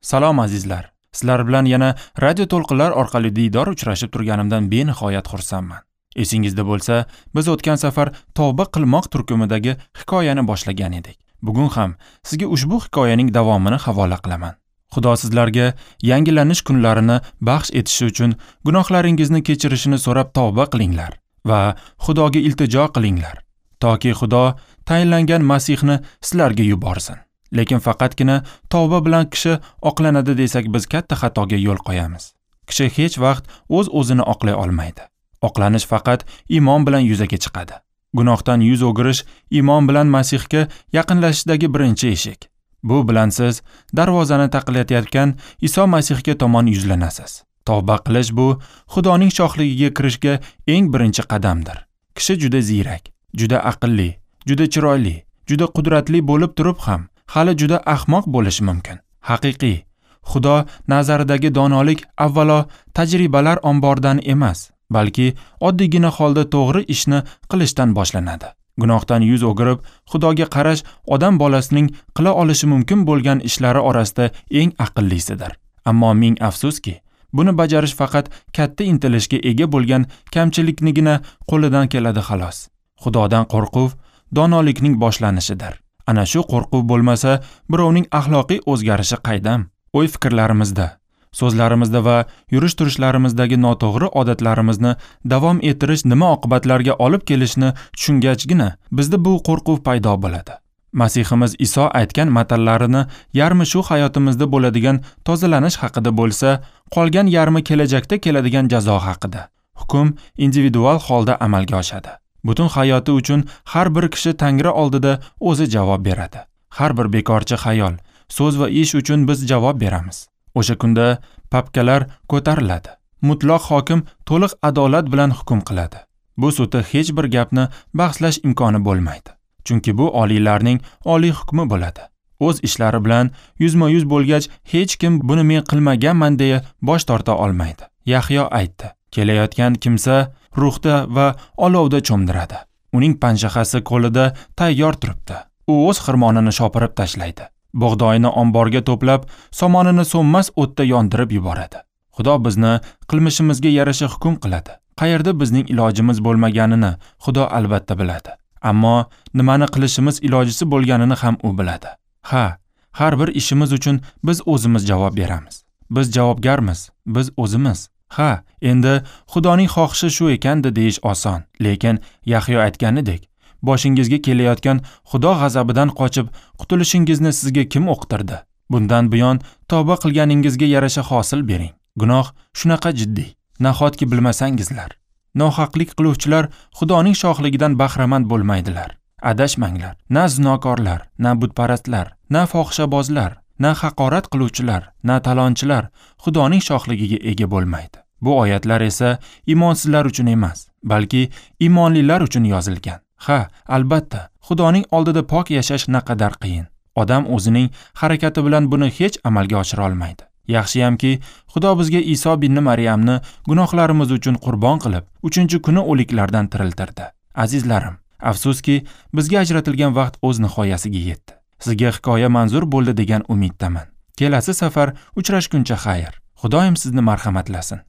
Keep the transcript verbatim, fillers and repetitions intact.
Salom azizlar. Sizlar bilan yana radio to'lqinlar orqali diydor uchrashib turganimdan benihoyat xursandman. Esingizda bo'lsa, biz o'tgan safar tavba qilmoq turkumidagi hikoyani boshlagan edik. Bugun ham sizga ushbu hikoyaning davomini havola qilaman. Xudo sizlarga yangilanish kunlarini baxsh etishi uchun gunohlaringizni kechirishini so'rab tavba qilinglar va Xudoga iltijo qilinglar, toki Xudo tayinlangan Masihni sizlarga yuborsin. Lekin faqatgina tavba bilan kishi oqlanadi desak, biz katta xatoga yo'l qo'yamiz. Kishi hech vaqt o'z-o'zini oqlay olmaydi. Oqlanish faqat iymon bilan yuzaga chiqadi. Gunohdan yuz o'girish iymon bilan Masihga yaqinlashishdagi birinchi eshik. Bu bilan siz darvozani taqillatayotgan Iso Masihga tomon yuzlanasiz. Tavba qilish bu Xudoning shohligiga kirishga eng birinchi qadamdir. Kishi juda ziyrak, juda aqlli, juda chiroyli, juda qudratli bo'lib turib ham hali juda ahmoq bo'lishi mumkin. Haqiqiy Xudo nazaridagi donolik avvalo tajribalar omboridan emas, balki oddiygina holda to'g'ri ishni qilishdan boshlanadi. Gunohdan yuz o'girib, Xudoga qarash odam bolasining qila olishi mumkin bo'lgan ishlari orasida eng aqllisidir. Ammo ming afsuski, buni bajarish faqat katta intilishga ega bo'lgan kamchiliknigina qo'lidan keladi xolos. Xudodan qo'rquv donolikning boshlanishidir. Ana shu qo'rquv bo'lmasa, birovning axloqiy o'zgarishi qaydam? O'y-fikrlarimizda, so'zlarimizda va yurish-turishlarimizdagi noto'g'ri odatlarimizni davom ettirish nima oqibatlarga olib kelishini tushungachgina bizda bu qo'rquv paydo bo'ladi. Masihimiz Iso aytgan matallarini yarmi shu hayotimizda bo'ladigan tozalanish haqida bo'lsa, qolgan yarmi kelajakda keladigan jazo haqida. Hukm individual holda amalga oshadi. Butun hayoti uchun har bir kishi Tangri oldida o'zi javob beradi. Har bir bekorchi xayol, so'z va ish uchun biz javob beramiz. O'sha kunda papkalar ko'tariladi. Mutlaq hokim to'liq adolat bilan hukm qiladi. Bu sudda hech bir gapni bahslash imkoni bo'lmaydi. Chunki bu oliylarning oliy hukmi bo'ladi. O'z ishlari bilan yuzma-yuz bo'lgach, hech kim buni men qilmaganman deya bosh torta olmaydi. Yahyo aytdi: kelayotgan kimsa ruhda va olovda cho'mdiradi. Uning panjahasi qo'lida tayyor turibdi. U o'z xirmonini shopirib tashlaydi. Bug'doyini omborga to'plab, somonini so'nmas o'tda yondirib yuboradi. Xudo bizni qilmishimizga yarasha hukm qiladi. Qayerda bizning ilojimiz bo'lmaganini Xudo albatta biladi. Ammo nimani qilishimiz ilojisi bo'lganini ham u biladi. Ha, har bir ishimiz uchun biz o'zimiz javob beramiz. Biz javobgarmiz, biz o'zimiz. Ha, endi Xudoning xohishi shu ekanda deyish oson, lekin Yahyo aytganidek, boshingizga kelayotgan Xudo g'azabidan qochib qutulishingizni sizga kim o'qitirdi? Bundan buyon tavba qilganingizga yarasha hosil bering. Gunoh shunaqa jiddiy, nahotki bilmasangizlar. Nohaqlik qiluvchilar Xudoning shohligidan bahramand bo'lmaydilar. Adashmanglar. Na zinokorlar, na butparastlar, na fohishabozlar, na haqorat qiluvchilar, na talonchilar Xudoning shohligiga ega bo'lmaydi. Bu oyatlar esa iymonsizlar uchun emas, balki iymonlilar uchun yozilgan. Ha, albatta, Xudoning oldida pok yashash naqadar qiyin. Odam o'zining harakati bilan buni hech amalga oshira olmaydi. Yaxshiyamki, Xudo bizga Iso ibn Maryamni gunohlarimiz uchun qurbon qilib, uchinchi kuni o'liklardan tiriltirdi. Azizlarim, afsuski, bizga ajratilgan vaqt o'z nihoyasiga yetdi. Sizga hikoya manzur bo'ldi degan umiddaman. Kelasi safar uchrashguncha xayr. Xudoyim sizni marhamatlasin.